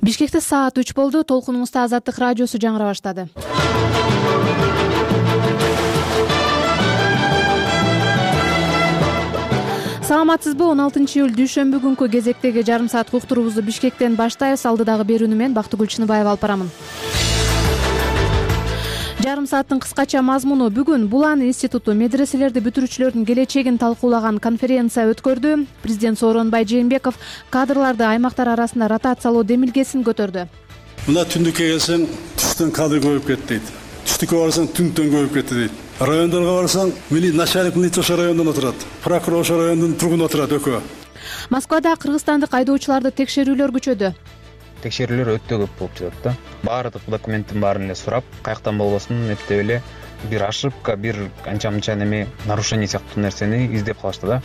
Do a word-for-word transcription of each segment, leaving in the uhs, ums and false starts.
Бишкекте саат үч болду. Толкунуңузда Азаттык радиосу жаңыра баштады. Саламатсызбы? он алтынчы июль дүйшөмбү күнкү кезектеги жарым саат уктуруубузду Бишкектен баштайбыз. Алдыдагы берүүнү мен Бактыгүл Чыныбаева алып барамын. Жарым сааттын кыскача мазмуну: бүгүн Булан институту медреселерди бүтүрүүчүлөрдүн келечегин талкуулаган конференция өткөрдү. Президент Сооронбай Жээнбеков кадрларды аймактар арасында ротациялоо демилгесин көтөрдү. Мына түндүккө келсең, түштөн кадр көбөйүп кетти дейт. Түштүккө барсаң, түндөн көбөйүп кетти дейт. Райондорго барсаң, мили начальник милиция ошо райондон отурат, прокурор ошо райондун тургуну отурат экөө. Москвада кыргызстандык айдоочуларды текшерүүлөр күчөдү. Текшерүүлөр өтө көп болуп жатат да. Баардык документтин баарын эле сурап, каяктан болбосун эптеп эле бир ошибка, бир анча-мынча неме нарушение сыяктуу нерсени издеп калышты да.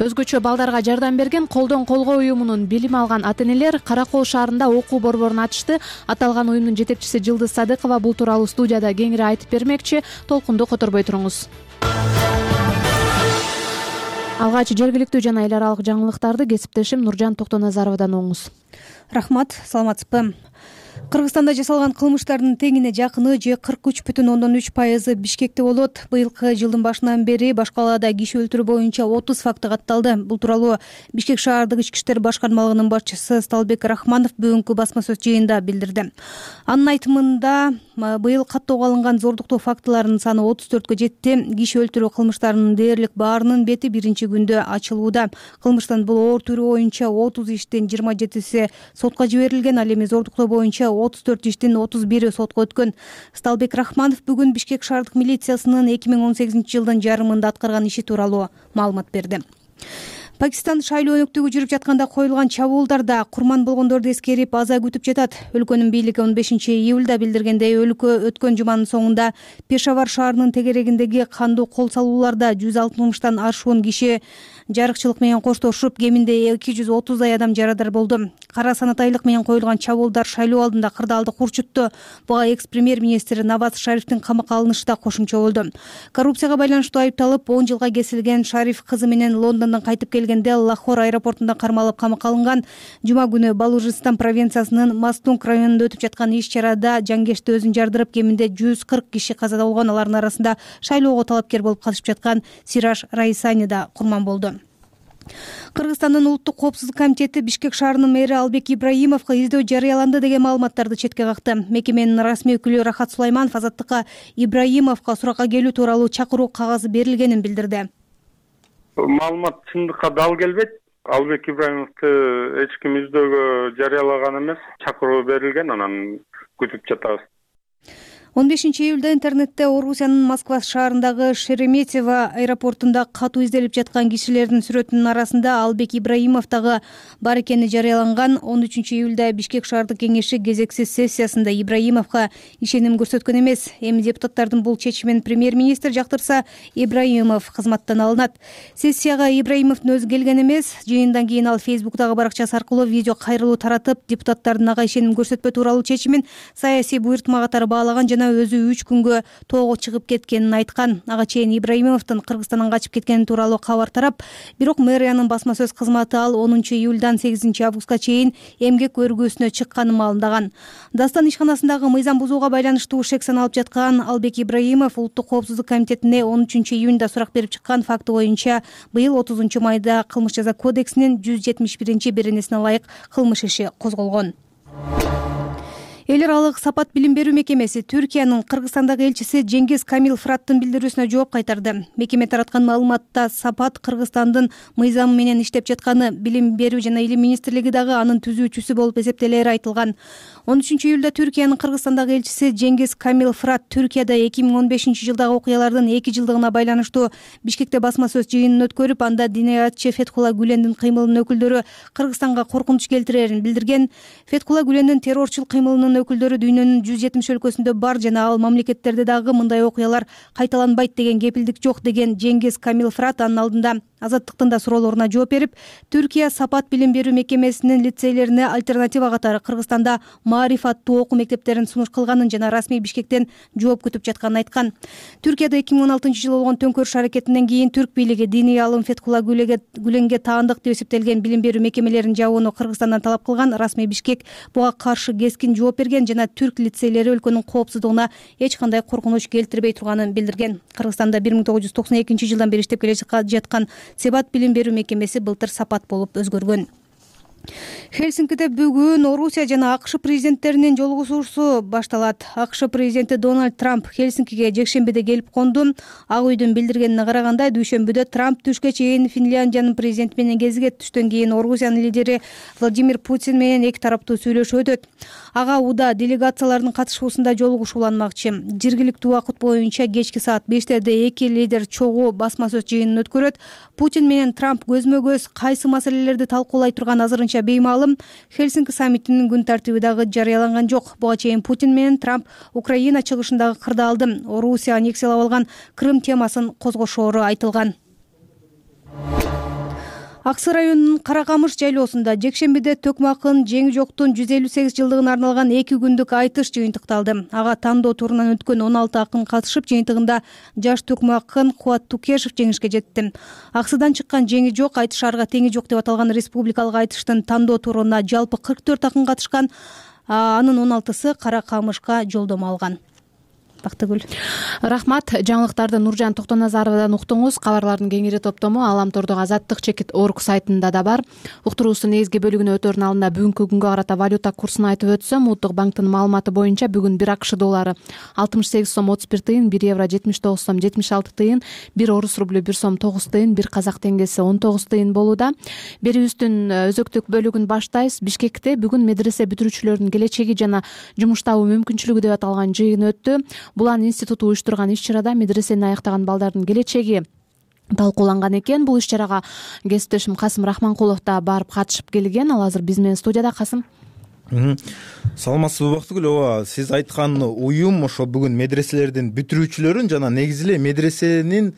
Өзгөчө балдарга жардам берген Колдон колго уюмунун билим алган ата-энелер Каракол шаарында окуу борборун ачышты. Аталган уюмдун жетекчиси Жылдыз Садыкова бул тууралуу студияда кеңири айтып бермекчи. Толкунду которбой туруңуз. Алгач жергиликтүү жана эл аралык жаңылыктарды кесиптешим Нуржан Токтоназаровдон угуңуз. Рахмат, саламатсызбы? Кыргызстанда жасалган кылмыштардын теңине жакыны же кырк үч бүтүн ондон үч пайызы Бишкекте болот. Быйылкы жылдын башынан бери баш калаада киши өлтүрүү боюнча отуз факты катталды. Бул тууралуу Бишкек шаардык ички иштер башкармалыгынын башчысы Сталбек Рахманов бүгүнкү басма сөз жыйынында билдирди. Анын айтымында, быйыл каттоого алынган зордуктоо фактыларынын саны отуз төрткө жетти. Киши өлтүрүү кылмыштарынын дээрлик баарынын бети биринчи күндө ачылууда. Кылмыштын бул оор түрү боюнча отуз иштин жыйырма жетиси сотко жиберилген, ал эми зордуктоо боюнча отуз төрт иштин отуз бири сотко өткөн. Сталбек Рахманов бүгүн Бишкек шаардык милициясынын эки миң он сегизинчи жылдын жарымында аткарган иши тууралуу маалымат берди. Пакистан шайлоо өнөктүгү жүрүп жатканда коюлган чабуулдарда курман болгондорду эскерип аза күтүп жатат. Өлкөнүн бийлиги он бешинчи июлда билдиргендей, өлкө өткөн жуманын соңунда Пешавар шаарынын тегерегиндеги кандуу кол салууларда жүз алтымыштан ашуун киши жарыкчылык менен коштошуп, кеминде эки жүз отуздай адам жарадар болду. Кара санатайлык менен коюлган чабуулдар шайлоо алдында кырдаалды курчутту. Буга экс-премьер-министр Наваз Шарифтин камакка алынышы да кошумча болду. Коррупцияга байланыштуу айыпталып он жылга кесилген Шариф кызы менен Лондондон кайтып келгенде Лахор аэропортунда кармалып камакка алынган. Жума күнү Балужистан провинциясынын Мастунг районунда өтүп жаткан иш-чарада жангешти өзүн жардырып, кеминде жүз кырк киши каза болгон. Алардын арасында шайлоого талапкер болуп катышып жаткан Сираж Раисани да курман болду. Кыргызстандын улуттук коопсуздук комитети Бишкек шаарынын мэри Албек Ибраимовго издөө жарыяланды деген маалыматтарды четке какты. Мекеменин расмий өкүлү Рахат Сулайманов Азаттыкка Ибраимовго суракка келүү тууралуу чакыруу кагазы берилгенин билдирди. Маалымат чындыкка дал келбейт. Албек Ибраимовду эч ким издөөгө жарыялаган эмес. Чакыруу берилген, анан күтүп жатабыз. он бешинчи июлда интернетте Орусиянын Москва шаарындагы Шереметьево аэропортунда катуу изделип жаткан кишилердин сүрөтүнүн арасында Албек Ибраимов дагы бар экени жарыяланган. он үчүнчү июлда Бишкек шаардык кеңеши кезексиз сессиясында Ибраимовго ишеним көрсөткөн эмес. Эми депутаттардын бул чечимин премьер-министр жактырса, Ибраимов кызматтан алынат. Сессияга Ибраимовдун өзү келген эмес. Жыйындан кийин ал Фейсбуктагы баракчасы аркылуу видео кайрылуу таратып, депутаттардын ага ишеним көрсөтпөө тууралуу чечимин саясий буйртма катары баалаган жана өзү үч күнгө тоого чыгып кеткенин айткан. Ага чейин Ибраимовдун Кыргызстандан качып кеткени тууралуу кабар тарап, бирок мэриянын басма сөз кызматы ал онунчу июлдан сегизинчи августка чейин эмгек өргүүсүнө чыкканын маалымдаган. Дастан ишканасындагы мыйзам бузууга байланыштуу шек саналып жаткан Албек Ибраимов улуттук коопсуздук комитетине он үчүнчү июнда сурак берип чыккан факты боюнча быйыл отузунчу майда кылмыш жаза кодексинин жүз жетимиш биринчи беренесине ылайык кылмыш иши козголгон. Эл аралык сапат билим берүү мекемеси Түркиянын Кыргызстандагы элчиси Жеңгиз Камил Фыраттын билдирүүсүнө жооп кайтарды. Мекеме тараткан маалыматта сапат Кыргызстандын мыйзамы менен иштеп жатканы, билим берүү жана илим министрлиги дагы анын түзүүчүсү болуп эсептелери айтылган. он үчүнчү июлда Түркиянын Кыргызстандагы элчиси Жеңгиз Камил Фырат Түркияда эки миң он бешинчи жылдагы окуялардын эки жылдыгына байланыштуу Бишкекте басма сөз жыйынын өткөрүп, анда диниятчы Фетхула Гүлендин кыймылынын өкүлдөрү Кыргызстанга коркунуч келтирерин билдирген. Фетхула Гүлендин террорчул кыймылынын өкүлдөрү дүйнөнүн жүз жетимиш өлкөсүндө бар жана ал мамлекеттерде дагы мындай окуялар кайталанбайт деген кепилдик жок деген Жеңгиз Камил Фырат анын алдында Азаттыктын да суроолоруна жооп берип, Түркия Сапат билим берүү мекемесинин лицейлерине альтернатива катары Кыргызстанда маариф аттуу окуу мектептерин сунуш кылганын жана расмий Бишкектен жооп күтүп жатканын айткан. Түркияда эки миң он алтынчы жылы болгон төңкөрүш аракетинен кийин түрк бийлиги диний алым Фетхулла Гүленге таандык деп эсептелген билим берүү мекемелерин жабууну Кыргызстандан талап кылган. Расмий Бишкек буга каршы кескин жооп берген жана түрк лицейлери өлкөнүн коопсуздугуна эч кандай коркунуч келтирбей турганын билдирген. Кыргызстанда бир миң тогуз жүз токсон экинчи жылдан бери иштеп келе жаткан Себат билим берүү мекемеси былтыр Сапат болуп өзгөргөн. Хельсинкиде бүгүн Орусия жана АКШ президенттеринин жолугушуусу башталат. АКШ президенти Дональд Трамп Хельсинкиге жекшембиде келип конду. Ак үйдүн билдиргенине караганда, дүйшөмбүдө Трамп түшкө чейин Финляндиянын президенти менен кезигет. Түштөн кийин Орусиянын лидери Владимир Путин менен эки тараптуу сүйлөшүү өтөт. Ага Уда делегациялардын катышуусунда жолугушуу уланмакчы. Жергиликтүү убакыт боюнча кечки саат бештерде эки лидер чогуу басма сөз жыйынын өткөрөт. Путин менен Трамп көзмө көз кайсы маселелерди талкуулай турган азырынча беймаалым. Хельсинки саммитинин күн тартиби дагы жарыяланган жок. Буга чейин Путин менен Трамп Украина чыгышындагы кырдаалды, Орусия аннексиялап алган Крым темасын козгошоору айтылган. Аксы районунун Каракамыш жайлоосунда жекшембиде Төкмакын жеңи жоктун жүз элүү сегиз жылдыгына арналган эки күндүк айтыш жыйынтыкталды. Ага тандоо турунан өткөн он алты акын катышып, жыйынтыгында жаш Төкмакын Кубат Тукешев жеңишке жетти. Аксыдан чыккан жеңи жок, айтыш арга теңи жок деп аталган республикалык айтыштын тандоо туруна жалпы кырк төрт акын катышкан, анын он алтысы Каракамышка жолдомо алган. Бактыгүл. Рахмат. Жаңылыктарды Нуржан Токтоназаровадан уктуңуз. Кабарлардын кеңири топтому Аламтордогу Азаттык чекит орг сайтында да бар. Уктуруусунун негизги бөлүгүнө өтөрүн алдында бүгүнкү күнгө карата валюта курсун айтып өтсөм, Улуттук банктын маалыматы боюнча бүгүн бир АКШ доллары алтымыш сегиз сом отуз бир тыйын, бир евро жетимиш тогуз сом жетимиш алты тыйын, бир орус рублю бир сом тогуз тыйын, бир казак теңгеси он тогуз тыйын болууда. Берүүбүздүн өзөктүк бөлүгүн баштайбыз. Бишкекте бүгүн медресе бүтүрүүчүлөрүнүн келечеги жана жумуш табуу мүмкүнчүлүгү деп аталган жыйын өттү. Булан институту уюштурган иш-чарада медресени аяктаган балдардын келечеги талкууланган экен. Бул иш-чарага кесиптешим Касым Рахманкулов да барып катышып келген. Ал азыр биз менен студияда. Касым. Саламатсызбы Бактыгүл? Ооба, сиз айткан уюм ошо бүгүн медреселердин бүтүрүүчүлөрүн жана негизи эле медресенин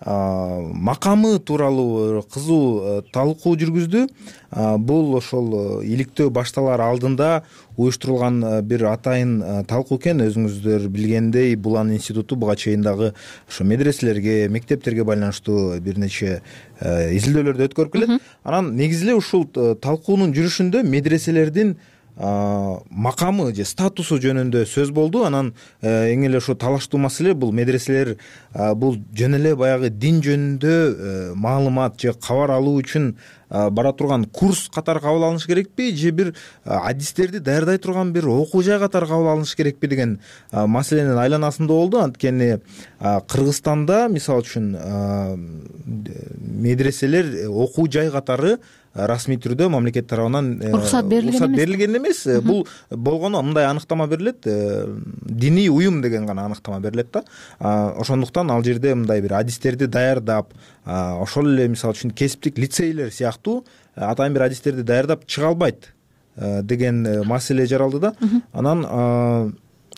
макамы тууралуу кызуу талкуу жүргүздү. Бул ошол иликтөө башталар алдында уюштурулган бир атайын талкуу экен. Өзүңүздөр билгендей, Булан институту буга чейин дагы ошо медреселерге, мектептерге байланыштуу бир нече изилдөөлөрдү өткөрүп келет. Анан негизи эле ушул талкуунун жүрүшүндө медреселердин макамы же статусу жөнүндө сөз болду. Анан эң эле ошо талаштуу маселе бул медреселер бул жөн эле баягы дин жөнүндө маалымат же кабар алуу үчүн бара турган курс катары кабыл алыныш керекпи, же бир адистерди даярдай турган бир окуу жай катары кабыл алыныш керекпи деген маселенин айланасында болду. Анткени Кыргызстанда мисалы үчүн медреселер окуу жай катары расмий түрдө мамлекет тарабынан уруксат берилген эмес. Бул болгону мындай аныктама берилет, диний уюм деген гана аныктама берилет да. Ошондуктан ал жерде мындай бир адистерди даярдап, ошол эле мисалы үчүн кесиптик лицейлер сыяктуу атайын бир адистерди даярдап чыга албайт деген маселе жаралды да. Анан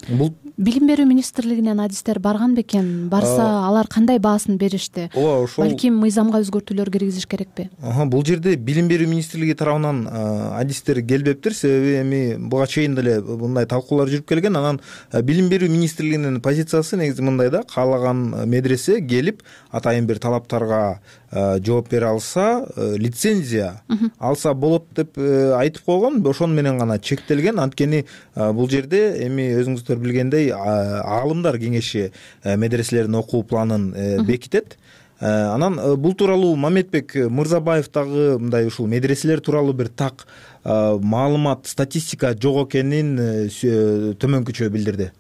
бул билим берүү министрлигинен адистер барган бекен? Барса, алар кандай баасын беришти? Ооба, ошол балким мыйзамга өзгөртүүлөр киргизиш керекпи? Бул жерде билим берүү министрлиги тарабынан адистер келбептир, себеби эми буга чейин деле мындай талкуулар жүрүп келген. Анан билим берүү министрлигинин позициясы негизи мындай да: каалаган медресе келип атайын бир талаптарга жооп бере алса, лицензия алса болот деп айтып койгон. Ошону менен гана чектелген. Анткени бул жерде эми өзүңүздөр билгендей аалымдар кеңеши медреселердин окуу планын бекитет. Анан бул тууралуу Мамедбек Мырзабаев дагы мындай ушул медреселер тууралуу бир так маалымат, статистика жок экенин төмөнкүчө билдирди.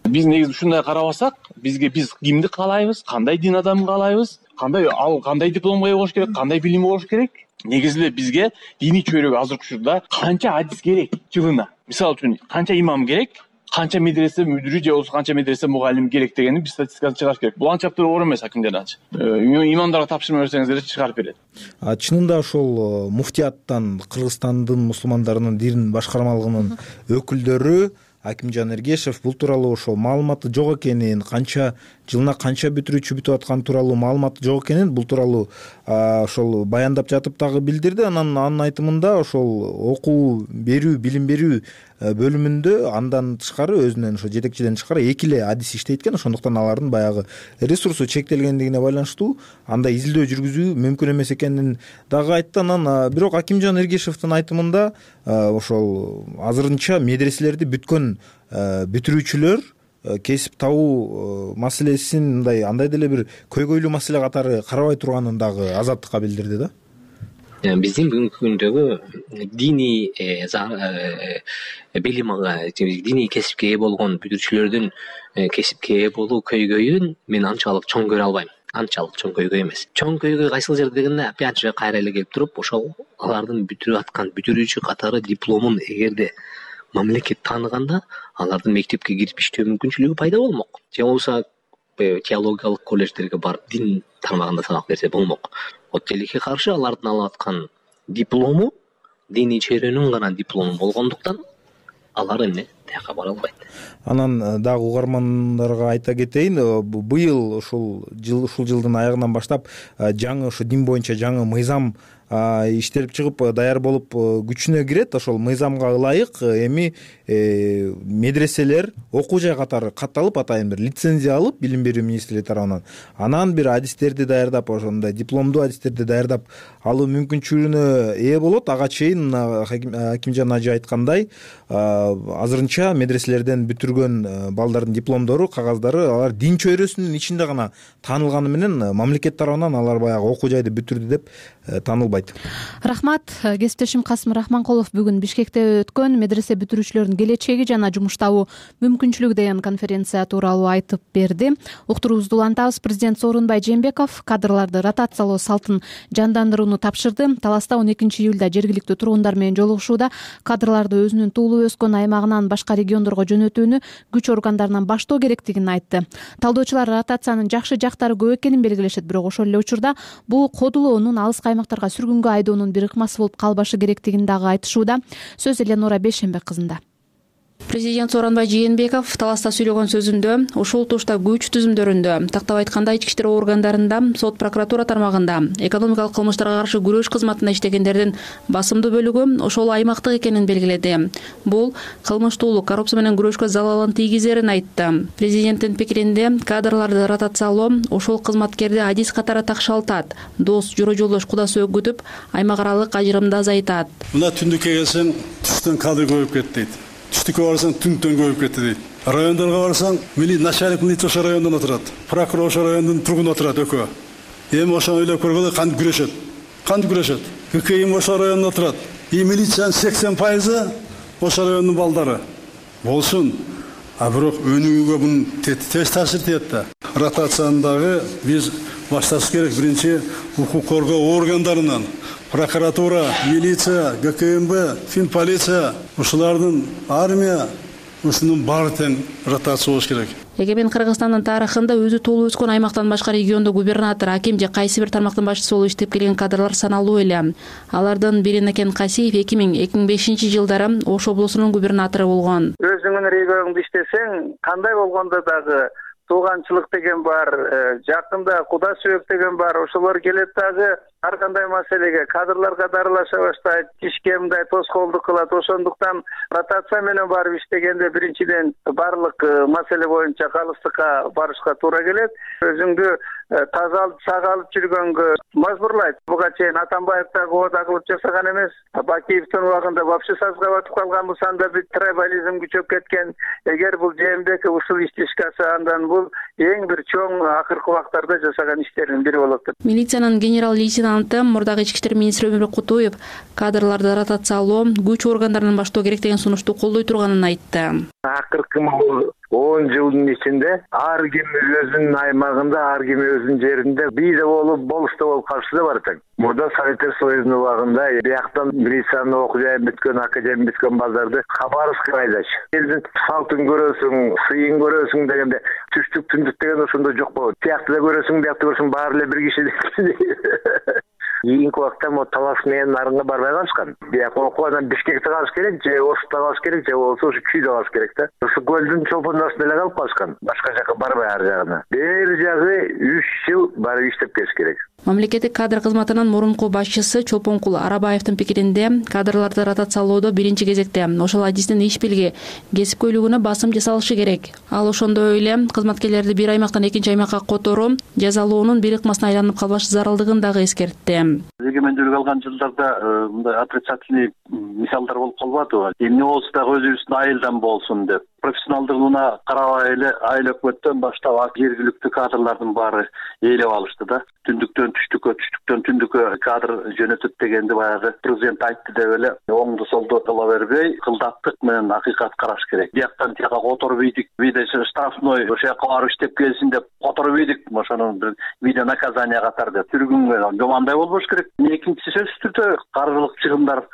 Биз негизи ушундай карабасак, бизге биз кимди каалайбыз, кандай дин адамын каалайбыз, кандай ал кандай дипломго ээ болуш керек, кандай билими болуш керек. Негизи эле бизге диний чөйрөгө азыркы учурда канча адис керек жылына? Мисалы үчүн канча имам керек, канча медресе мүдүрү же болбосо канча медресе мугалим керек дегенди биз статистикасын чыгарыш керек. Бул анча оор эмес акимдерден. Имамдарга тапшырма берсеңиздер чыгарып берет. Чынында ошол муфтияттан, Кыргызстандын мусулмандарынын дин башкармалыгынын өкүлдөрү Акимжан Эргешев бул тууралуу ошол маалыматы жок экенин, канча жылына канча бүтүрүүчү бүтүп атканы тууралуу маалымат жок экенин, бул тууралуу ошол баяндап жатып дагы билдирди. Анан анын айтымында ошол окуу берүү, билим берүү бөлүмүндө андан тышкары өзүнөн ошо жетекчиден тышкары эки эле адис иштейт экен. Ошондуктан алардын баягы ресурсу чектелгендигине байланыштуу андай изилдөө жүргүзүү мүмкүн эмес экенин дагы айтты. Анан бирок Акимжан Эргешевдин айтымында ошол азырынча медреселерди бүткөн бүтүрүүчүлөр кесип табуу маселесин мындай андай деле бир көйгөйлүү маселе катары карабай турганын дагы Азаттыкка билдирди да. Биздин бүгүнкү күндөгү диний билим, диний кесипке ээ болгон бүтүрүүчүлөрдүн кесипке ээ болуу көйгөйүн мен анчалык чоң көрө албайм. Анчалык чоң көйгөй эмес. Чоң көйгөй кайсыл жерде дегенде, опять же кайра эле келип туруп, ошол алардын бүтүрүп аткан бүтүрүүчү катары дипломун эгерде мамлекет тааныганда, алардын мектепке кирип иштөө мүмкүнчүлүгү пайда болмок. Же болбосо теологиялык колледждерге барып дин тармагында сабак берсе болмок. Вот тилекке каршы алардын алып аткан диплому диний чөйрөнүн гана диплому болгондуктан алар эмне тияка бара албайт. Анан дагы угармандарга айта кетейин, быйыл ушул жыл ушул жылдын аягынан баштап жаңы ошо дин боюнча жаңы мыйзам иштелип чыгып даяр болуп күчүнө кирет. Ошол мыйзамга ылайык эми медреселер окуу жай катары катталып, атайын бир лицензия алып билим берүү министрлиги тарабынан анан бир адистерди даярдап, ошондой дипломдуу адистерди даярдап алуу мүмкүнчүлүгүнө ээ болот. Ага чейин Акимжан ажы айткандай, азырынча медреселерден бүтүргөн балдардын дипломдору, кагаздары алар дин чөйрөсүнүн ичинде гана таанылганы менен мамлекет тарабынан алар баягы окуу жайды бүтүрдү деп таанылбайт. Рахмат. Кесиптешим Касым Рахманкулов бүгүн Бишкекте өткөн медресе бүтүрүүчүлөрүнүн келечеги жана жумуш табуу мүмкүнчүлүгү деген конференция тууралуу айтып берди. Уктуруубузду улантабыз. Президент Сооронбай Жээнбеков кадрларды ротациялоо салтын жандандырууну тапшырды. Таласта он экинчи июлда жергиликтүү тургундар менен жолугушууда кадрларды өзүнүн туулуп өскөн аймагынан башка региондорго жөнөтүүнү күч органдарынан баштоо керектигин айтты. Талдоочулар ротациянын жакшы жактары көп экенин белгилешет, бирок ошол эле учурда бул кодулоонун алыскы аймактарга сүргүнгө айдоонун бир ыкмасы болуп калбашы керектигин дагы айтышууда. Сөз Эленора Бейшембек кызында. Президент Сооронбай Жээнбеков таласта сүйлөгөн сөзүндө ушул тушта күч түзүмдөрүндө, тактап айтканда ички иштер органдарында, сот прокуратура тармагында, экономикалык кылмыштарга каршы күрөш кызматында иштегендердин басымдуу бөлүгү ошол аймактык экенин белгиледи. Бул кылмыштуулук, коррупция менен күрөшкө залалын тийгизерин айтты. Президенттин пикиринде кадрларды ротациялоо ошол кызматкерди адис катары такшалтат, дос, жора жолдош, кудасы өгүтүп, аймак аралык ажырымды азайтат. Мына түндүккө келсең, түштөн кадр көбөйүп кетти дейт. Түштүккө барсаң түнтөн көбөйүп кетти дейт. Райондорго барсаң, мили начальник милиция ошол райондон отурат, прокурор ошол райондун тургуну отурат экөө. Эми ошону ойлоп көргөндө кантип күрөшөт? Кантип күрөшөт? ККМ ошол райондон отурат. И милициянын сексен пайызы ошол райондун балдары. Болсун. А бирок өнүгүүгө бунун терс таасир тиет да. Ротацияны дагы биз башташ керек. Биринчи укук коргоо органдарынан, прокуратура, милиция, ГКМБ, финполиция, ушулардын армия, ушунун баары тең ротация болуш керек. Эгемен Кыргызстандын тарыхында өзү туулуп өскөн аймактан башка региондо губернатор, аким же кайсы бир тармактын башчысы болуп иштеп келген кадрлар саналуу эле. Алардын бири Некен Касиев эки миң эки миң бешинчи жылдары Ош облусунун губернатору болгон. Өзүңүн регионуңда иштесең, кандай болгондо дагы тууганчылык деген бар, жакында куда сүйөк деген бар, ошолор келет дагы ар кандай маселеге кадрларга дарылаша баштайт, ишке мындай тоскоолдук кылат. Ошондуктан ротация менен барып иштегенде биринчиден барлык маселе боюнча калыстыкка барышка туура келет. Өзүңдү таза алып, сага алып жүргөнгө мажбурлайт. Буга чейин Атамбаев дагы ода кылып жасаган эмес. Бакиевдин убагында вообще сазга батып калган, бусанда бир трибализм күчөп кеткен. Эгер бул Жээнбеков ушул ишти ишке алса, андан бул эң бир чоң акыркы убактарда жасаган иштердин бири болот деп. Милициянын генерал лейтенанты, мурдагы ички иштер министри Өмүрбек Кутуев кадрларды ротациялоо күч органдарынан баштоо керек деген сунушту колдой турганын айтты. Акыркы он жылдын ичинде ар ким өзүнүн аймагында, ар ким өзүнүн жеринде бийде болуп, болушта болуп калышы да бар экен. Мурда Советтер Союзунун убагында бияктан милициянын окуу жайын бүткөн, академия бүткөн балдарды Хабаровскка айдаш. Элдин салтын көрөсүң, сыйын көрөсүң дегенде түштүк түндүк деген ошондо жок болот. Тиякты да көрөсүң, биякты көрөсүң, баары эле бир киши. кийинки убакта могу Талас менен Нарынга барбай калышкан. Бияк окуп анан Бишкекте калыш керек, же Ошутта калыш керек, же болбосо ушу Чүйдө калыш керек да. Ушу көлдүн чолпондосунда эле калып калышкан. Башка жака барбай ар жагына. Бери жагы үч жыл барып иштеп келиш керек. Мамлекеттик кадр кызматынын мурунку башчысы Чолпонкул Арабаевдин пикиринде, кадрларды ротациялоодо биринчи кезекте ошол адистин иш билги, кесипкөйлүгүнө басым жасалышы керек. Ал ошондой эле кызматкерлерди бир аймактан экинчи аймакка которуу, жазалоонун бир ыкмасына айланып калбаш зарылдыгын дагы эскертти. Эгемендүүлүк алган жылдарда мындай отрицательный мисалдар болуп калбадыбы? Эмне болсо дагы өзүбүздүн айылдан болсун деп. Профессионалдыгына карабай эле айыл өкмөттөн баштап жергиликтүү кадрлардын баары ээлеп алышты да. Түндүктөн түштүккө, түштүктөн түндүккө кадр жөнөтөт дегенди баягы президент айтты деп эле оңду солду кыла бербей, кылдаттык менен акыйкат караш керек. Бияктан тияка которуп ийдик, видео штрафной ошол жака барып иштеп келсин деп которуп ийдик, ошону бир видео наказание катары деп түргөнгө жомандай болбош керек. Экинчи сөзсүз түрдө каржылык чыгымдар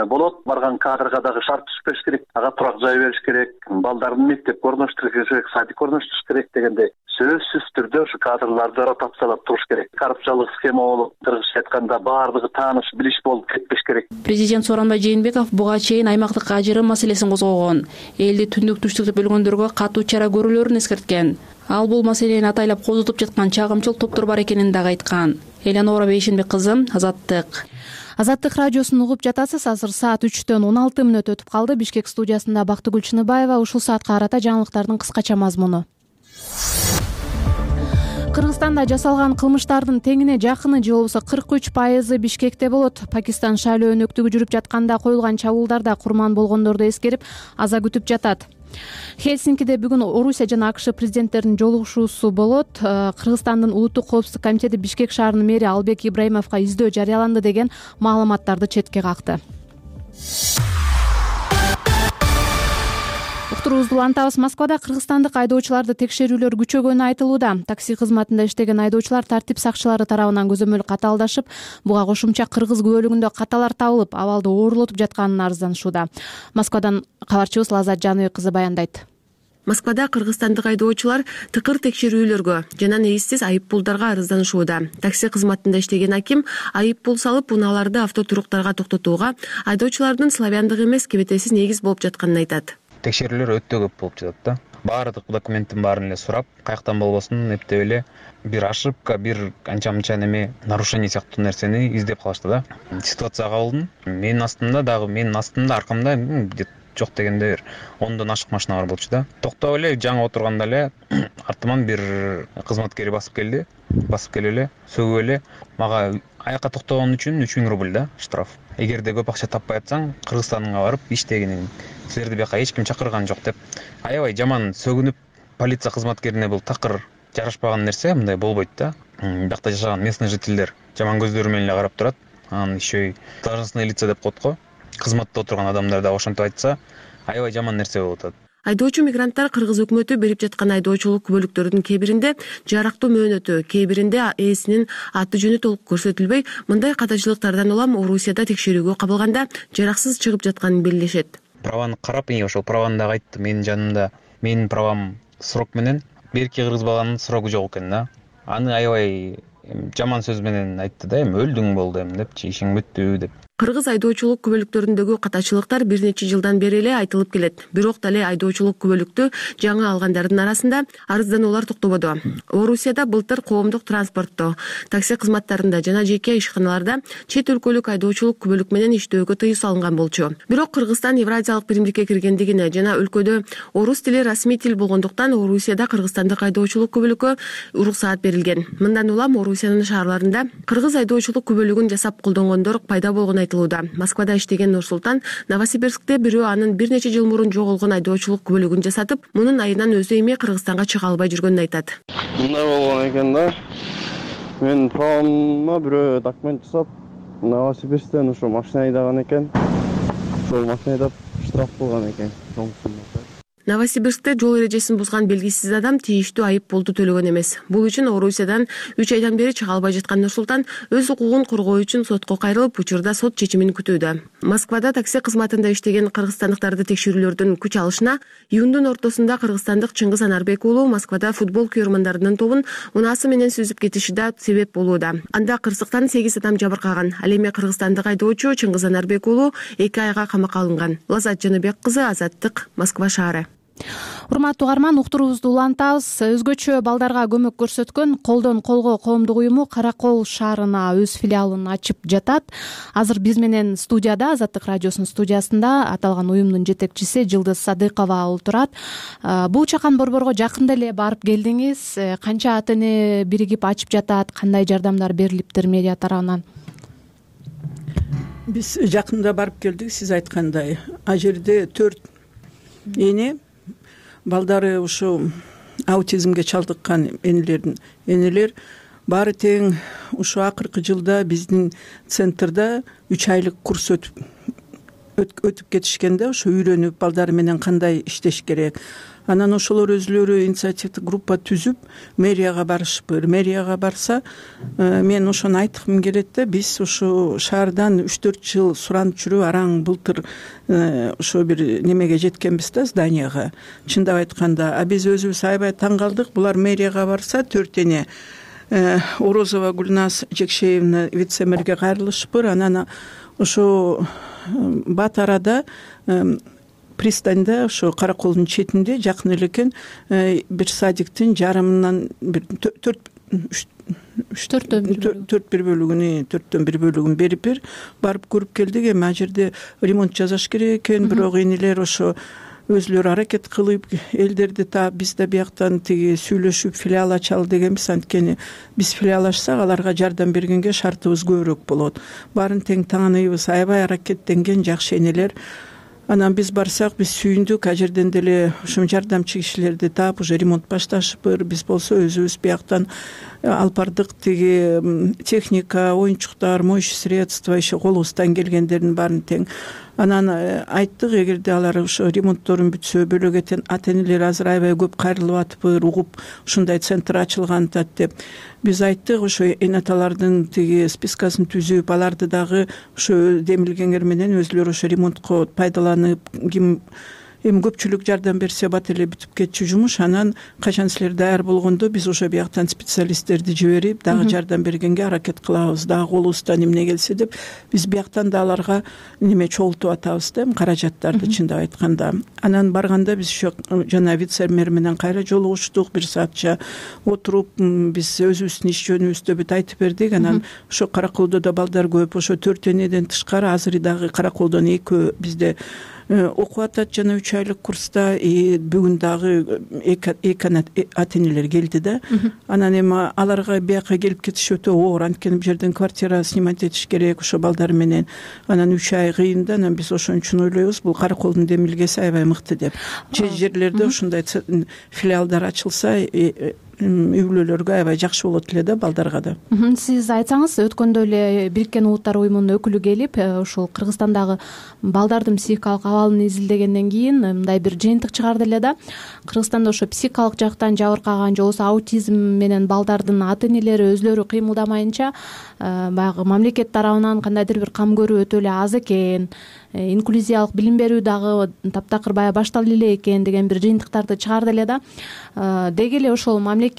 болот, барган кадрга дагы шарт түзбөш керек, ага турак жай бериш керек, балдарын мектепке орноштуруш керек, садикке орноштуруш керек дегенде сөзсүз түрдө ушу кадрларды ротациялап туруш керек. Коррупциялык схема болуп, кыргызча айтканда баардыгы тааныш, билиш болуп кетпеш керек. Президент Сооронбай Жээнбеков буга чейин аймактык ажырым маселесин козгогон, элди түндүк түштүк деп бөлгөндөргө катуу чара көрүүлөрүн эскерткен. Ал бул маселени атайлап козутуп жаткан чагымчыл топтор бар экенин дагы айткан. Элянора Бейшенбек кызы, Азаттык. Азаттык радиосун угуп жатасыз. Азыр саат үчтөн он алты мүнөт өтүп калды. Бишкек студиясында Бактыгүл Чыныбаева. Ушул саатка карата жаңылыктардын кыскача мазмуну. Кыргызстанда жасалган кылмыштардын теңине жакыны же болбосо кырк үч пайызы Бишкекте болот. Пакистан шайлоо өнөктүгү жүрүп жатканда коюлган чабуулдарда курман болгондорду эскерип, аза күтүп жатат. Хельсинкиде бүгүн Орусия жана АКШ президенттеринин жолугушуусу болот. Кыргызстандын Улуттук коопсуздук комитети Бишкек шаарынын мэри Албек Ибраимовго издөө жарыяланды деген маалыматтарды четке какты. Уктуруубузду улантабыз. Москвада кыргызстандык айдоочуларды текшерүүлөр күчөгөнү айтылууда. Такси кызматында иштеген айдоочулар тартип сакчылары тарабынан көзөмөл катаалдашып, буга кошумча кыргыз күбөлүгүндө каталар табылып, абалды оорлотуп жатканын арызданышууда. Москвадан кабарчыбыз Лазат Жаныбек кызы баяндайт. Москвада кыргызстандык айдоочулар тыкыр текшерүүлөргө жана негизсиз айып пулдарга арызданышууда. Такси кызматында иштеген аким айып пул салып, унааларды автотуруктарга токтотууга айдоочулардын славяндык эмес, кебетесиз негиз болуп жатканын айтат. Текшерүүлөр өтө көп болуп жатат да. Баардык документтин баарын эле сурап, каяктан болбосун эптеп эле бир ошибка, бир анча-мынча неме нарушение сыяктуу нерсени издеп калышты да. Ситуацияга кабылдым. Менин астымда дагы, менин астымда аркамда жок дегенде бир ондон ашык машина бар болчу да. Токтоп эле жаңы отурганда эле артыман бир кызматкери басып келди. Басып келип эле сөгүп эле мага аякка токтогон үчүн үч миң рубль да штраф. Эгерде көп акча таппай атсаң, Кыргызстанга барып иштегиниң, силерди бияка эч ким чакырган жок деп аябай жаман сөгүнүп, полиция кызматкерине бул такыр жарашпаган нерсе, мындай болбойт да. Биякта жашаган местный жительдер жаман көздөрү менен эле карап турат. Анан еще должностные лица деп коет го. Кызматта отурган адамдар да ошентип айтса, аябай жаман нерсе болуп атат. Айдоочу мигранттар кыргыз өкмөтү берип жаткан айдоочулук күбөлүктөрдүн кээ биринде жарактуу мөөнөтү, кээ биринде ээсинин аты жөнү толук көрсөтүлбөй, мындай катачылыктардан улам Орусияда текшерүүгө кабылганда жараксыз чыгып жатканын белгилешет. Праваны карап, ошол праваны дагы айтты. Менин жанымда менин правам срок менен, берки кыргыз баланын срогу жок экен да. Аны аябай жаман сөз менен айтты да, эми өлдүң болду эми депчи, ишиң бүттү деп. Кыргыз айдоочулук күбөлүктөрүндөгү катачылыктар бир нече жылдан бери эле айтылып келет. Бирок дале айдоочулук күбөлүктү жаңы алгандардын арасында арыздануулар токтободу. Орусияда былтыр коомдук транспортто, такси кызматтарында жана жеке ишканаларда чет өлкөлүк айдоочулук күбөлүк менен иштөөгө тыюу салынган болчу. Бирок Кыргызстан Евразиялык биримдикке киргендигине жана өлкөдө орус тили расмий тил болгондуктан Орусияда кыргызстандык айдоочулук күбөлүккө уруксаат берилген. Мындан улам Орусиянын шаарларында кыргыз айдоочулук күбөлүгүн жасап колдонгондор пайда болгон. Москвада иштеген Нурсултан Новосибирскте бирөө анын бир нече жыл мурун жоголгон айдоочулук күбөлүгүн жасатып, мунун айынан өзү эми Кыргызстанга чыга албай жүргөнүн айтат. Мындай болгон экен да. Мен правыма бирөө документ жасап, Новосибирсктен ошо машина айдаган экен. Ошол машина айдап штраф болгон экен. Новосибирскте жол эрежесин бузган белгисиз адам тийиштүү айып пулду төлөгөн эмес. Бул үчүн Орусиядан үч айдан бери чыга албай жаткан Нурсултан өз укугун коргоо үчүн сотко кайрылып, учурда сот чечимин күтүүдө. Москвада такси кызматында иштеген кыргызстандыктарды текшерүүлөрдүн күч алышына июндун ортосунда кыргызстандык Чыңгыз Анарбек уулу Москвада футбол күйөрмандарынын тобун унаасы менен сүзүп кетиши да себеп болууда. Анда кырсыктан сегиз адам жабыркаган. Ал эми кыргызстандык айдоочу Чыңгыз Анарбек уулу эки айга камакка алынган. Лазат Жаныбек кызы, Азаттык, Москва шаары. Урматтуу угарман, уктуруубузду улантабыз. Өзгөчө балдарга көмөк көрсөткөн Колдон колго коомдук уюму Каракол шаарына өз филиалын ачып жатат. Азыр биз менен студияда, Азаттык радиосунун студиясында аталган уюмдун жетекчиси Жылдыз Садыкова отурат. Бул чакан борборго жакында эле барып келдиңиз. Канча ата эне биригип ачып жатат, кандай жардамдар берилиптир медиа тарабынан? Биз жакында барып келдик, сиз айткандай. А жерде төрт эне, балдары ушу аутизмге чалдыккан энелердин энелер баары тең ушу акыркы жылда биздин центрда үч айлык курс өтүп өтүп кетишкен да, ошо үйрөнүп балдары менен кандай иштеш керек. Анан ошолор өзүлөрү инициативдик группа түзүп мэрияга барышпыр. Мэрияга барса, мен ошону айткым келет да, биз ушу шаардан үч төрт жыл суранып жүрүп араң былтыр ошо бир немеге жеткенбиз да, зданияга. Чындап айтканда, а биз өзүбүз аябай таң калдык. Булар мэрияга барса, төрт эне Орозова Гүлназ Жекшеевна вице-мэрге кайрылышпыр. Анан ошо бат арада пристаньда, ошо Караколдун четинде жакын элекен бир садиктин жарымынан бир төрт төрт бир бөлүгүн төрттөн бир бөлүгүн берип бир барып көрүп келдик. Эми а жерде ремонт жасаш керек экен, бирок энелер ошо өзүлөрү аракет кылып элдерди таап, биз да бияктан тиги сүйлөшүп филиал ачалы дегенбиз. Анткени биз филиал ачсак, аларга жардам бергенге шартыбыз көбүрөөк болот. Баарын тең тааныйбыз, аябай аракеттенген жакшы энелер. Анан биз барсак, биз сүйүндүк. А жерден деле ушул жардамчы кишилерди таап, уже ремонт башташыппыр. Биз болсо өзүбүз бияктан алып бардык, тиги техника, оюнчуктар, моющий средства, иши колубуздан келгендердин баарын тең. Анан айттык, эгерде алар ошо ремонтторун бүтсө, бөлөк ата энелер азыр аябай көп кайрылып атыпыр, угуп ушундай центр ачылган атат деп. Биз айттык, ошо эне аталардын тиги спискасын түзүп, аларды дагы ошо демилгеңер менен өзүлөрү ошо ремонтко пайдаланып, ким эми көпчүлүк жардам берсе бат эле бүтүп кетчү жумуш. Анан качан силер даяр болгондо биз ошо бияктан специалисттерди жиберип, дагы жардам бергенге аракет кылабыз, дагы колубуздан эмне келсе деп биз бияктан да аларга неме чогултуп атабыз да, каражаттарды, чындап айтканда. Анан барганда биз ошо жана вице-мэр менен кайра жолугуштук, бир саатча отуруп биз өзүбүздүн иш жөнүбүздө бүт айтып бердик. Анан ошо Караколдо да балдар көп, ошо төрт энеден тышкары азыр дагы Караколдон экөө бизде окуп атат жана үч айлык курста. Бүгүн дагы эки ата энелер келди да. Анан эми аларга бияка келип кетиш өтө оор, анткени бул жерден квартира снимать этиш керек ошо балдар менен. Анан үч ай кыйын да. Анан биз ошон үчүн ойлойбуз, бул Караколдун демилгеси аябай мыкты деп. Же жерлерде ушундай филиалдар ачылса, үй бүлөлөргө аябай жакшы болот эле да, балдарга да. Сиз айтсаңыз, өткөндө эле Бириккен Улуттар уюмунун өкүлү келип, ушул Кыргызстандагы балдардын психикалык абалын изилдегенден кийин мындай бир жыйынтык чыгарды эле да. Кыргызстанда ошо психикалык жактан жабыркаган же болбосо аутизм менен балдардын ата энелери өзлөрү кыймылдамайынча, баягы мамлекет тарабынан кандайдыр бир кам көрүү өтө эле аз экен, инклюзиялык билим берүү дагы таптакыр баягы башталып эле экен деген бир жыйынтыктарды чыгарды эле да. Деги эле ошол мамлекет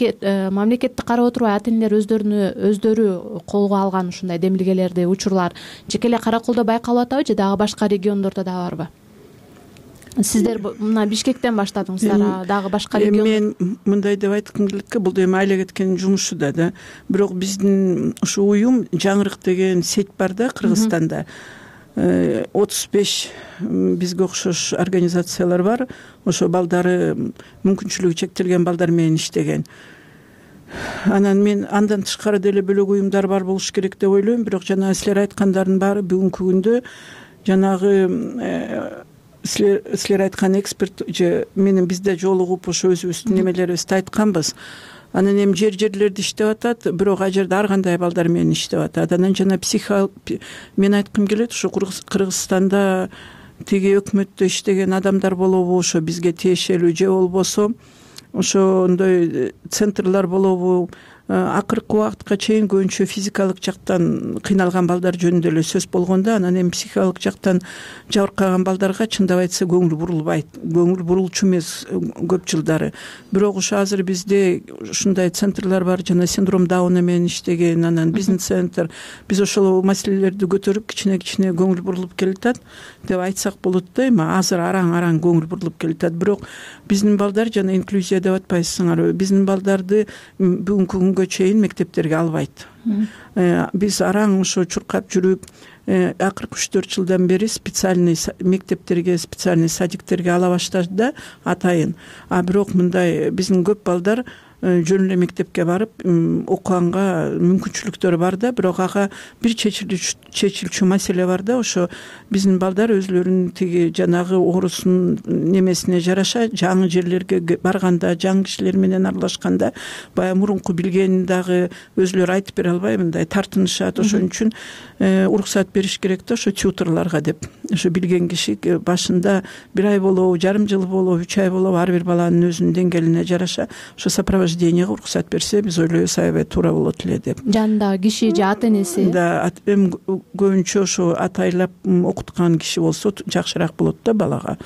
мамлекетти карап отурбай ата энелер өздөрүнү өздөрү колго алган ушундай демилгелерди, учурлар жеке эле Караколдо байкалып атабы же дагы башка региондордо да барбы? Сиздер мына Бишкектен баштадыңыздар, дагы башка регион? Мен мындай деп айткым келет, бул эми айла кеткен жумушу да да. Бирок биздин ушу уюм Жаңырык деген сеть бар да Кыргызстанда. отуз беш бизге окшош организациялар бар. Ошо балдары мүмкүнчүлүгү чектелген балдар менен иштеген. Анан мен андан тышкары деле бөлөк уюмдар бар болуш керек деп ойлойм. Бирок жана силер айткандардын баары бүгүнкү күндө жанагы силер силер айткан эксперт же менен бизде жолугуп ошо өзүбүздүн немелерибизди айтканбыз. Анан эми жер жерлерде иштеп атат, бирок а жерде ар кандай балдар менен иштеп атат. Анан жана психо мен айткым келет, ушу Кыргызстанда тиги өкмөттө иштеген адамдар болобу, ошо бизге тиешелүү же болбосо ошондой центрлар болобу, акыркы убакытка чейин көбүнчө физикалык жактан кыйналган балдар жөнүндө эле сөз болгондо, анан эми психикалык жактан жабыркаган балдарга чындап айтса көңүл бурулбайт, көңүл бурулчу эмес көп жылдары. Бирок ошо азыр бизде ушундай центрлар бар, жана синдром Дауна менен иштеген, анан бизнес центр. Биз ошол маселелерди көтөрүп кичине кичине көңүл бурулуп келатат деп айтсак болот да. Эми азыр араң араң көңүл бурулуп келатат. Бирок биздин балдар, жана инклюзия деп атпайсыңарбы, биздин балдарды бүгүнкү күнгө чейин мектептерге албайт. Биз араң ошо чуркап жүрүп, акыркы үч төрт жылдан бери специальный мектептерге, специальный садиктерге ала баштады да атайын. А бирок мындай биздин көп балдар жөн эле мектепке барып окуганга мүмкүнчүлүктөрү бар да, бирок ага бир чечилчү маселе бар да. Ошо биздин балдар өзлөрүнүн тиги жанагы оорусунун немесине жараша жаңы жерлерге барганда, жаңы кишилер менен аралашканда баягы мурунку билгенин дагы өзлөрү айтып бере албай мындай тартынышат. Ошон үчүн уруксат бериш керек да ошо тьюторлорго деп. Ошо билген киши башында бир ай болобу, жарым жыл болобу, үч ай болобу, ар бир баланын өзүнүн деңгээлине жараша ошо сопровожденияга уруксат берсе, биз ойлойбуз аябай туура болот эле деп. Жанындагы киши же ата энеси? Да, эми көбүнчө ошо атайлап окуткан киши болсо жакшыраак болот да балага.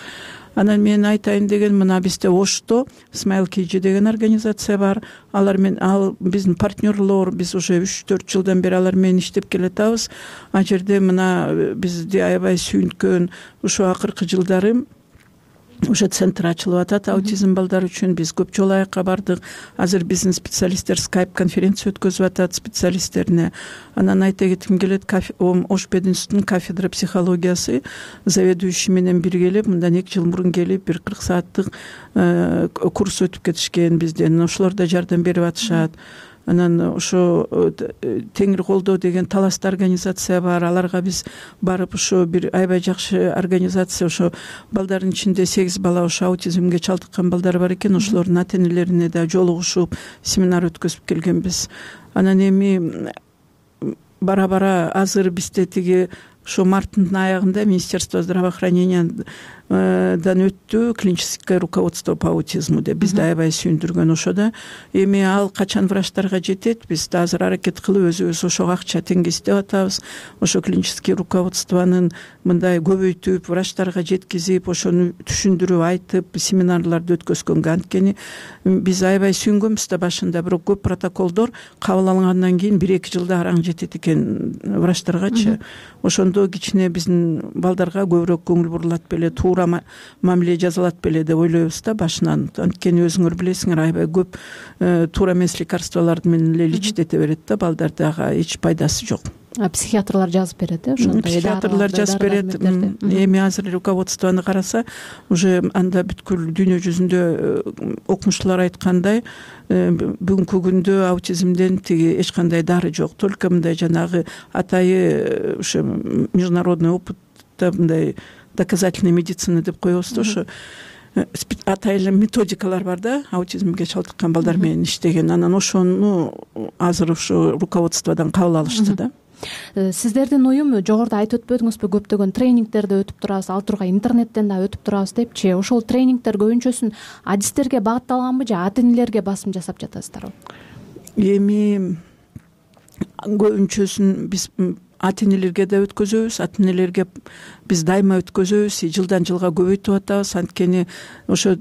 Анан мен айтайын деген, мына бизде Ошто Smile Kg деген организация бар. Алар менен ал биздин партнерлор, биз уже үч төрт жылдан бери алар менен иштеп келатабыз. А жерде мына бизди аябай сүйүнткөн ушо акыркы жылдары ошо центр ачылып атат аутизм балдар үчүн. Биз көп жолу аякка бардык. Азыр биздин специалисттер скайп конференция өткөзүп атат специалисттерине. Анан айта кетким келет, Ошпединститутунун кафедра психологиясы заведующий менен биргелеп, мындан эки жыл мурун келип бир кырк сааттык курс өтүп кетишкен бизден. Ошолор да жардам берип атышат. Анан ошо Теңир колдоо деген таластуу организация бар. Аларга биз барып ошо бир аябай жакшы организация. Ошо балдардын ичинде сегиз бала ошо аутизмге чалдыккан балдар бар экен. Ошолордун ата энелерине да жолугушуп семинар өткөзүп келгенбиз. Анан эми бара-бара азыр бизде тиги ошо марттын аягында Министерство здравоохранениядан өттү клиническое руководство по аутизму деп бизди аябай сүйүндүргөн. Ошодо эми ал качан врачтарга жетет, биз да азыр аракет кылып өзүбүз ошого акча теңгестеп атабыз. Ошо клинический руководствонун мындай көбөйтүп, врачтарга жеткизип, ошону түшүндүрүп айтып, семинарларды өткөзгөнгө. Анткени биз аябай сүйүнгөнбүз да башында, бирок көп протоколдор кабыл алынгандан кийин бир эки жылда араң жетет экен врачтаргачы. Ошондо кичине биздин балдарга көбүрөөк көңүл бурулат беле, туура мамиле жасалат беле деп ойлойбуз да башынан. Анткени өзүңөр билесиңер, аябай көп туура эмес лекарстволор менен эле лечитете берет да балдарды, ага эч пайдасы жок. Психиатрлар жазып берет, э, ошондой. Психиатрлар жазып берет. Эми азыр руководствону караса, уже анда бүткүл дүйнө жүзүндө окумуштуулар айткандай, бүгүнкү күндө аутизмден тиги эч кандай дары жок. Только мындай жанагы атайы ошо международный опытта мындай доказательная медицина деп коебуз да, ошо атайын методикалар бар да, аутизмге чалдыккан балдар менен иштеген. Анан ошону азыр ошо руководстводон кабыл алышты да. Сиздердин уюм жогоруда айтып өтпөдүңүзбү, көптөгөн тренингтерди өтүп турабыз, ал тургай интернеттен да өтүп турабыз депчи. Ошол тренингтер көбүнчөсүн адистерге багытталганбы же ата энелерге басым жасап жатасыздарбы? Эми көбүнчөсүн биз ата энелерге да өткөзөбүз, ата энелерге биз дайыма өткөзөбүз, жылдан жылга көбөйтүп атабыз. Анткени ошо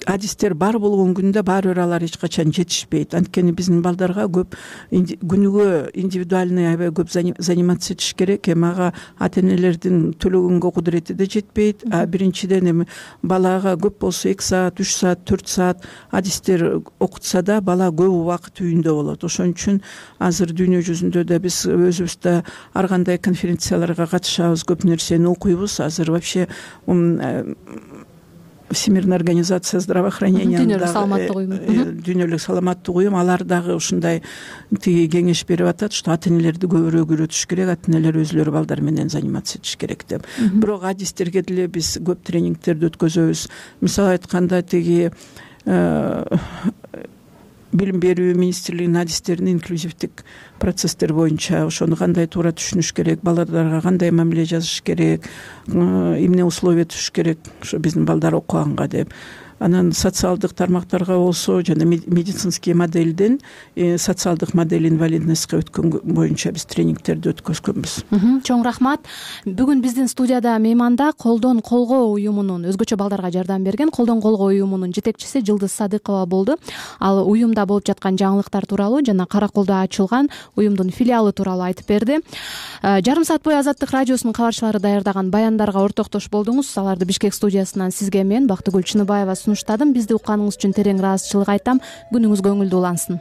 адистер бар болгон күндө баары бир алар эч качан жетишпейт. Анткени биздин балдарга көп күнүгө индивидуальный аябай көп заниматься этиш керек. Эми ага ата энелердин төлөгөнгө кудурети да жетпейт. А биринчиден эми балага көп болсо эки саат, үч саат, төрт саат адистер окутса да бала көп убакыт үйүндө болот. Ошон үчүн азыр дүйнө жүзүндө да биз өзүбүз да ар кандай конференцияларга катышабыз, көп нерсени окуйбуз. Азыр вообще Всемирная организация здравоохранения, дүйнөлүк саламаттык уюм, алар дагы ушундай тиги кеңеш берип атат, что ата энелерди көбүрөөк үйрөтүш керек, ата энелер өзлөрү балдар менен заниматься этиш керек деп. Бирок адистерге деле биз көп тренингтерди өткөзөбүз. Мисалы айтканда тиги билим берүү министрлигинин адистерин инклюзивдик процесстер боюнча ошону кандай туура түшүнүш керек, балдарга кандай мамиле жасаш керек, эмне условия түзүш керек ошо биздин балдар окуганга деп. Анан социалдык тармактарга болсо жана медицинский моделден социалдык модель инвалидностька өткөн боюнча биз тренингтерди өткөзгөнбүз. Чоң рахмат. Бүгүн биздин студияда мейманда Колдон колго уюмунун, өзгөчө балдарга жардам берген Колдон колго уюмунун жетекчиси Жылдыз Садыкова болду. Ал уюмда болуп жаткан жаңылыктар тууралуу жана Караколдо ачылган уюмдун филиалы тууралуу айтып берди. Жарым саат бою Азаттык радиосунун кабарчылары даярдаган баяндарга ортоктош болдуңуз. Аларды Бишкек студиясынан сизге мен Бактыгүл Чыныбаева сунуштадым. Бизди укканыңыз үчүн терең ыраазычылык айтам. Күнүңүз көңүлдүү улансын.